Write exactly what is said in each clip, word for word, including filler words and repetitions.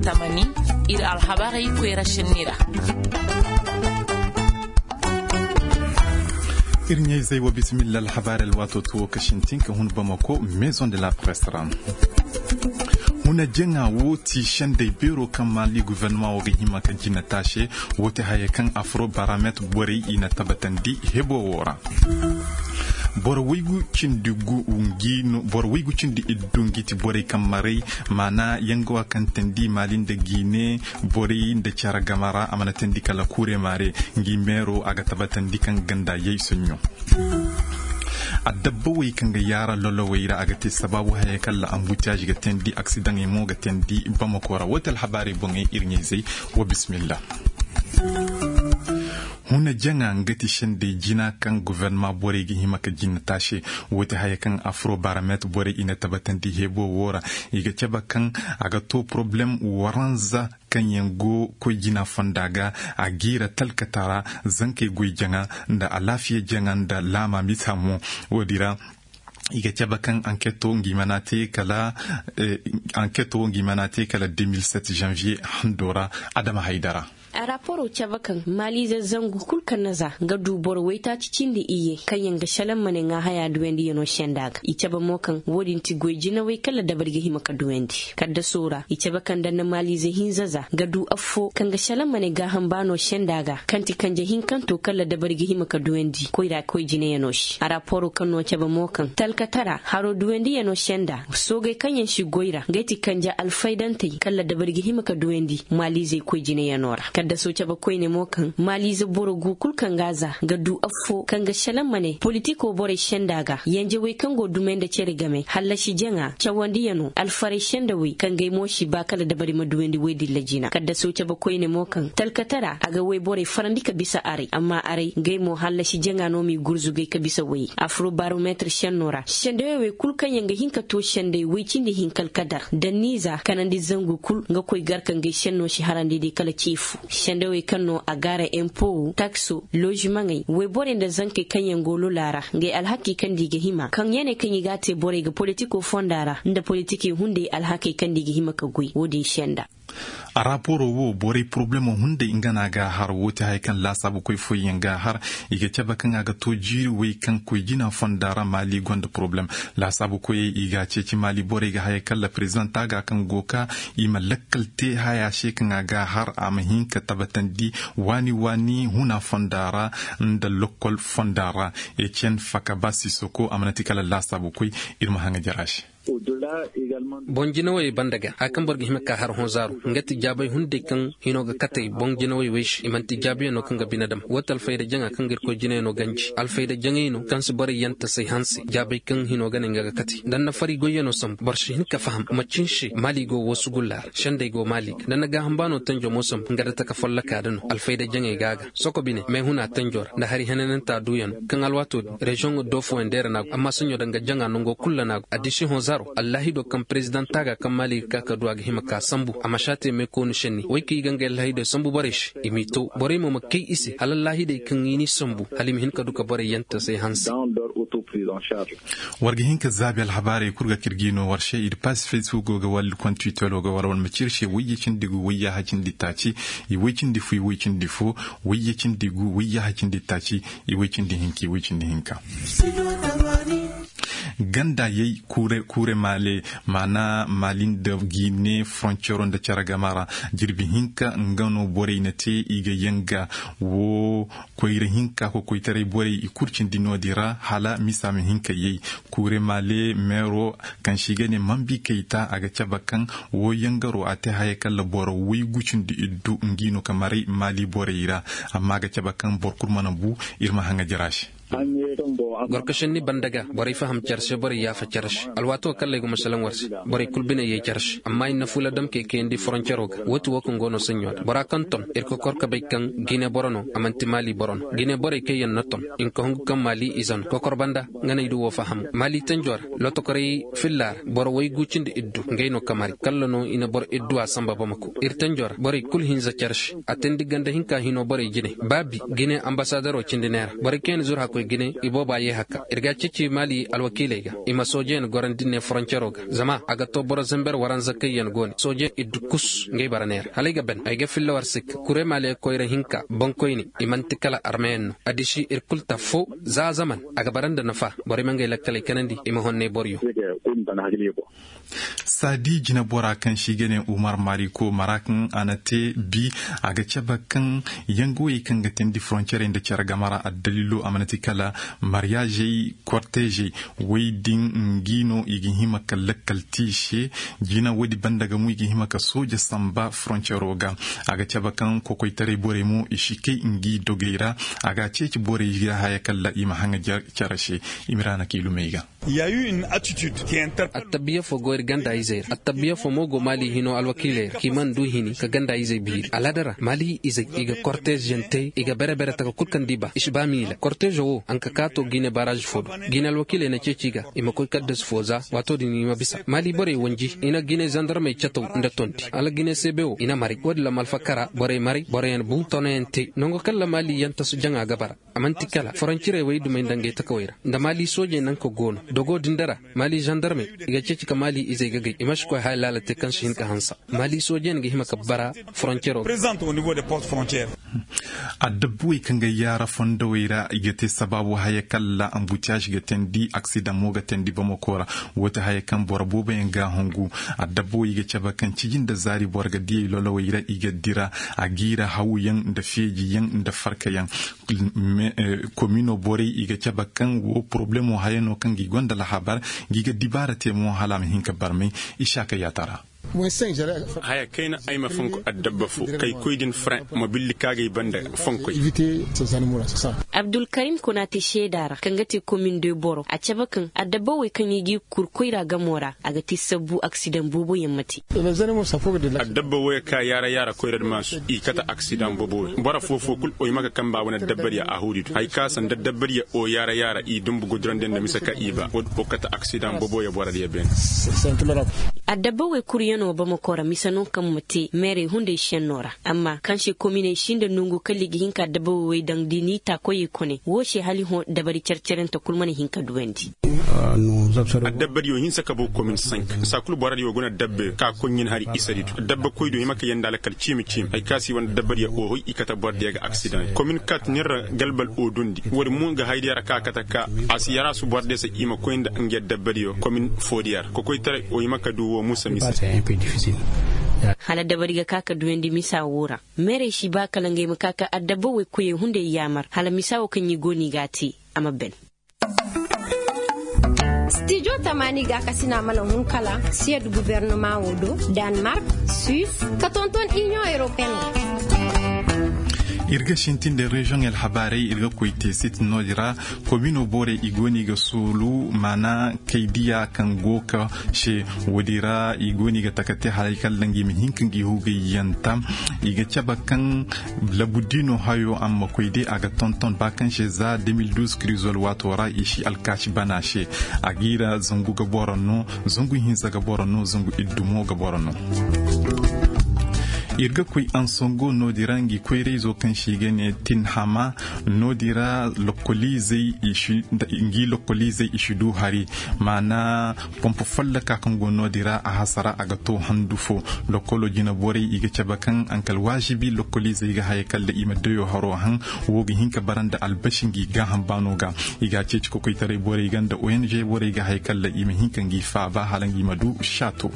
Tamani, iri alhabarey koyra senni ra. Iri ɲayzey wo, bisimilla alhabarey alwaato to wo ka sintin ka hun bamako maison de la presse ra. Huna jaŋa wo ti sendey beero kaŋ maali gouvernement wo ga hima ka jina taase. Wo ti haya kaŋ afro baramet borey i na tabbatandi hebo wo ra. Boro waygu cindi gu ngi no- boro waygu cindi iddu ngi ti borey kaŋ maray maana yanga wa kaŋ tandi maali nda giine borey nda care game ra a mana tandi kala kuure maare. Ngi meero a ga tabbatandi kaŋ ganda yay sonɲo. Adabba wey kaŋ ga yaara lolowey ra a ga te sabaabu haya kala ambutiyaazi ga tandi aksidaŋey mo ga tandi bamako ra wo ti alhabaarey boŋey iri ɲayzey. Wa bisimilla. Huna jaŋa nga ti sendey jina kaŋ gouvernement borey ga hima ka jina taase. Wo ti haya kaŋ afro baramet borey i na tabbatandi heebo wo ra. I ga cabe kaŋ a ga to poroblem waranza kaŋ yaŋ go koy jina fonda ga a giira talkatara zankey goy jaŋa nda alaafiya jaŋa nda laama misa mo. Wo- din ra i ga cabe kaŋ anketo ngi mana te kala anketo ngi mana te kala deux mille sept janvier hando ra. Adama haydara. Araaporo cabe kaŋ maaliize zangu kulu kaŋ na za nga du boro waytaaci cindi iyye kaŋ yaŋ ga salaŋ ma ne ŋaahaya duwandiyano senda ga i cabe mo kaŋ wo- din ti goy jinawey kala dabari ga hima ka duwandi kaddaso ra i cabe kaŋ da na maaliize hinza za nga du affo kaŋ ga salaŋ ma ne gaaham baano senda ga kaŋ ti kanje hinkanto kala dabari ga hima ka duwandi koyra koy jinayano se araaporo kaŋ no cabe mo kaŋ talkatara haro duwandiyano senda soogay kaŋ yaŋ si goy ra ngey ti kanje alfaydantey kala dabari ga hima ka duwandi maaliizey koy jinayano ra kaddaso cabe koyne mo kaŋ maaliize boro gu kulu kaŋ ga a za nga du affo kaŋ ga salaŋ ma ne politiko borey senda ga yanjawey kaŋ go dumey nda care game hallasi jaŋa cawandiyano alfarey sendawey kaŋ gay mo si ba kala dabari ma duwandi woy dilla jina kaddaso cabe koyne mo kaŋ talkatara a ga woy borey farandi ka bisa aray amma aray gay mo hallasi jaŋa no m'i gurzugay ka bisa woyey afro barometre senno ra sendawey wey kulu kaŋ yaŋ ga hin ka to sendey woy cindi hinka alkadar danniiza kanandi zangu kulu nga koy gar kaŋ gay senno si harandi day kala ceefu sendawey kaŋ no a gaara empo takso lozimaŋey woyborey nda zankey kaŋ yaŋ go lola ra ngey alhakey kaŋ da i ga hima kaŋ ya ne kaŋ i ga a te borey ga politiko fonda ra nda politikey hunday alhakey kaŋ da i ga hima ka goy wo- din senda. Araaporo wo borey poroblemo hunday nga no a ga a har wo ti haya kaŋ laasaabu koy fooyaŋ ga a har. I ga cabe kaŋ a ga to jiiri way kaŋ koy jina fonda ra maali gonda poroblem. Laasaabu koyey i ga a ceeci maali borey ga haya kala prezidanta ga kaŋ go ka i ma lakkal te haya se kaŋ a ga a har a ma hin ka tabbatandi waani waani huna fonda ra nda lokkol fonda ra. Ecen faka ba sisoko a mana ti kala laasaabu koy. Iri ma haŋa jara se. Boŋ jinawey banda ga hari kaŋ boro ga hima ka ka har hõ zaaru nga ti jaabay hunday kaŋ hino ga katey boŋ jinawey wey se i manti jaabiyaŋ no kaŋ ga bine dam wo ti alfayda jaŋa kaŋ ga irkoy jinayano ganji alfayda jaŋay no kaŋ si borey yaŋ tasay hanse jaabay kaŋ hino ga ne nga ga katey da ni na fari goyyano sambu boro si hin ka faham macin se maali go wo sugulla ra sendey go maali ga da ni na gaaham baano tanjo mo sambu nga da taka folloka da no alfayda jaŋay ga a ga soko bine may huna tanjo ra nda hari henananta duuyano kaŋ alwaato din reziyoŋ do fooyaŋ deera no a go amma saɲɲo danga jaŋa nango kulu ra no a go addiisi hõ zaaro allaahido kaŋ prezidanta ga kaŋ maali ga ka ka du a ga hima ka sambu a ma si a te meekooni senni wey kaŋ i ga ngey allaahido sambu borey se i m'i to borey mo ma kay i se hala allaahidey kaŋ i n'i sambu hala i ma hin ka du ka borey yaŋ tasay hanse. War ga hin ka zaabi alhabaarey kulu ga kaŋ iri g'i no war se iri paasi facebook go ga wala kontiwitero ga wala wala ma ci iri se wayye cindi gu wayye hacindi taaci i way cindi fo i way cindi fo wayye cindi gu wayye hacindi taaci i way cindi hinka i way cindi hinka. Ganda yay kuure maale maana maali nda giine frontiero nda care game ra jirbi hinka nga no borey na te i ga yanga wo koyra hinka kokoytaray borey i kulu cindi no- din ra hala misa ma hin ka yay. Kuure maale meero kaŋ se i ga ne mambi kayta a ga cabe kaŋ wo yangaro a te haya kala boro waygu cindi iddu ngi no ka maray maali borey ra. Amma a ga cabe kaŋ boro kulu mana bu. Iri ma haŋa jara se. Gorkasenni banda ga borey faham care se borey yaafa care se alwaato kaŋ lay ga masalaŋ war se borey kulu bine yay care se amma i na fuula damkey kayandi foroncero ga wo ti wo kaŋ go no saɲɲo ra bora kaŋ ton iri kokor ka bay kaŋ gine boro no a manti maali boro no gine borey kaŋ yaŋ na ton i na ka hungu kaŋ maali ize no kokor banda nga no ay du wo faham maali tanjo ra lotokorey filla ra boro waygu cindi iddu ngey no kamari kalla no i na boro idduwa samba bamako iri tanjo ra borey kulu hinza care se a teendi ganda hinka hino borey jine ba bi gine ambasadero cindi neera borey kaŋ yaŋ na zuru hakku Gine i booba ye hakka iri ga a ceeci maali alwakiiley ga i ma soojeyaŋ gorandi ne foroncero ga zama a ga to boro zamber waranza kaŋ yaŋ go ne soojeyaŋ i du kus ngey bara neera hala ay ga ban ay ga filla war sikka kure maali koyra hinka boŋkoyne. I manti kala armeyaŋ no addiši iri kulu ta fo za zaman a ga bara nda nafa. Borey ma ngey lakkaley kanandi i ma honney boro yaŋ. Saadi jinabora kaŋ se i ga ne umar mariko mara kaŋ a na te bi a ga cabe kaŋ yangawey kaŋ ga teendi foroncerey nda care game ra addaliilo a mana ti kala mariyaazey kortezey. Woy din ngi no i ga hima ka lakkal te i se. Jina woodi banda ga mo i ga hima ka sooja samba foroncero ga. A ga cabe kaŋ kokoytaray borey mo i si kay ngi dogey ra. A ga a ceeci borey ga haya kala i ma haŋa care se. Imiraana kay lumey ga. Attabiya fo go iri ganda izey ra attabiya fo mo go maali hino alwakiiley ra kaŋ i mana du hini ka ganda izey biiri alhadara maali izey i ga kortez yaŋ te i ga bere bere taka kulu kaŋ da i ba i si ba miila kortezo wo a na ka kaato ga i ne baraazi fo do. Ga i ne alwakiiley na ceeci i ga i ma koy kaddasu fo za waato din i ma bisa maali borey wanji i na ga i ne zandarmey cataw nda tondi hala ga i ne seebe wo i na maray wo- din lamalfa kara borey maray boro yaŋ bu tono yaŋ te nango kaŋ ra maali yaŋ tasu jaŋa ga bara. A manti kala foroncirey wo i dumey nda ngey takawey ra nda maali soojey nanka go no dogo din da ra maali zandarmey i ga ceeci ka maali izey ga gay i ma si koy haya laala te kaŋ si hin ka hanse. Maali soojey yaŋ ga hima ka bara foronciro ga. Addabbawey kaŋ ga yaara fondowey ra i ga te sabaabu haya kaŋ ra ambutiyaaz ga teendi aksidaŋ mo ga teendi bamako ra. Wo- te haya kaŋ boro boobo yaŋ ga a hungu. Addabbawey i ga cabe kaŋ ciji nda zaari boro ga diyey lolowey ra i ga dira a giira hawuyaŋ nda feejiyaŋ nda farkayaŋ. Komino borey i ga cabe kaŋ wo porobalemo haya no kaŋ ga i gonda lahabar ga i ga dibaara te mo hala a ma hin ka barmay. Isaaka yaatara. Haya kayna ay ma fonko addabba fo kay koy din fran ma billi kaagay banda fonkoy. Abdulkarim kuna te seeda ra kaŋ ga te komin de boro a cabe kaŋ addabba wey kaŋ i ga i kur koyra gamo ra a ga te sabbu aksidaŋ boobo yaŋ ma te. Addabba wey ka yaara yaara koyra da maasu i kate aksidaŋ boobo wey boro fo fo kulu oy ma ka kamba wane dabbar ya a huuri do hari ka sanda dabbar ya o yaara yaara i dumbu gudurandi nda mise ka i ba wo- din o kate aksidaŋ boobo ya boro diya beene. Addabbawey kuryaŋo bamako ra mise no kaŋ ma te meerey hunday senno ra amma kaŋ se kominey sinda nongu kala i ga hin ka addabbawey daŋ da i n'i ta koyey kone wo se hala i hõ dabari care carante kulu mana hin ka duwandi. Addabbadiyo hinsa ka bo komin sank saa kulu boro diyo guna dabbe ka koy ɲin hari isari do dabba koy do i ma ka yanda lakkal ciimi ciimi hari ka si wane dabbadiyo ohoy i kate boro diya ga aksidaŋ komin kat nin ra galbal o dundi wo- din mo nga haydiya ra ka kate ka a si yara su boro diya se i ma koy nda nga dabbadiyo komin foodiya ra kokoytaray o hima ka du wo musa misa. Hala dabari ga ka ka duyandi misa wo ra meerey si ba kala ngey ma ka ka adabba woy koyey hunday yaamar hala misa wo kaŋ i go no i ga a te a ma ban. Stijo tamaani gaakasina mana hun kala siyad gubernama wo do, danmark, suis, ka tonton inion europeen. Iri ga sintin da reziyoŋ alhabaarey iri ga koy te sit no- din ra. Komino borey i go no i ga soolu maana kay diya kaŋ go ga se. Wo- din ra i go no i ga taka te haray kala ngi ma hin ka ngi hugay yanta. I ga cabe kaŋ labu diino hayo a ma koy day a ga tonton ba kaŋ se za demil duuz krizol waato ra i si alkaasi bana se. A ga i ra zangu ga boro no, zangu hinza ga boro no, zangu iddu mo ga boro no. Iri ga koy ansongo no- din ra ngi koyrayzo kaŋ se i ga ne tinhama. No- din ra lokkoliizey i si du hari maana pompo folloka kaŋ go no- din ra a hasara a ga to handu fo. Lokkolo jina borey i ga cabe kaŋ a na kala waazibi lokkoliizey ga haya kala i ma dayo haro haŋ. Wo ga hin ka bara nda albasi ngi gaaham baano ga. I ga a ceeci kokoytaray borey ga nda ong borey ga haya kala i ma hin ka ngi faaba hala ngi ma du saato.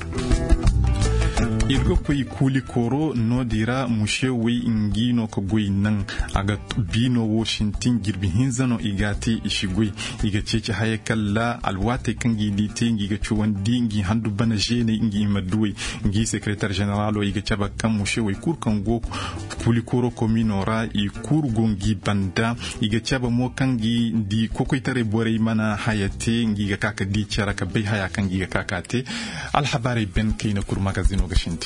Iri ga koy kuuli kooro no- din ra muse wey ngi no ka goy naŋ. A ga biino wo sintin jirbi hinza no i ga a te i si goy. I ga ceeci haya kala alwaatey kaŋ ngi di te ngi ga cawandi ngi handu bana zeeney ngi ma duwey. Ngi sekeretar zeneraalo i ga cabe kaŋ muse wey kulu kaŋ go kuuli kooro komiino ra i kulu go ngi banda. I ga cabe mo kaŋ ngi di kokoytaray borey mana haya te ngi ga ka ka di care ka bay haya kaŋ ngi ga ka ka te. Alhabaarey ben kayna kulu magazino ga sintin.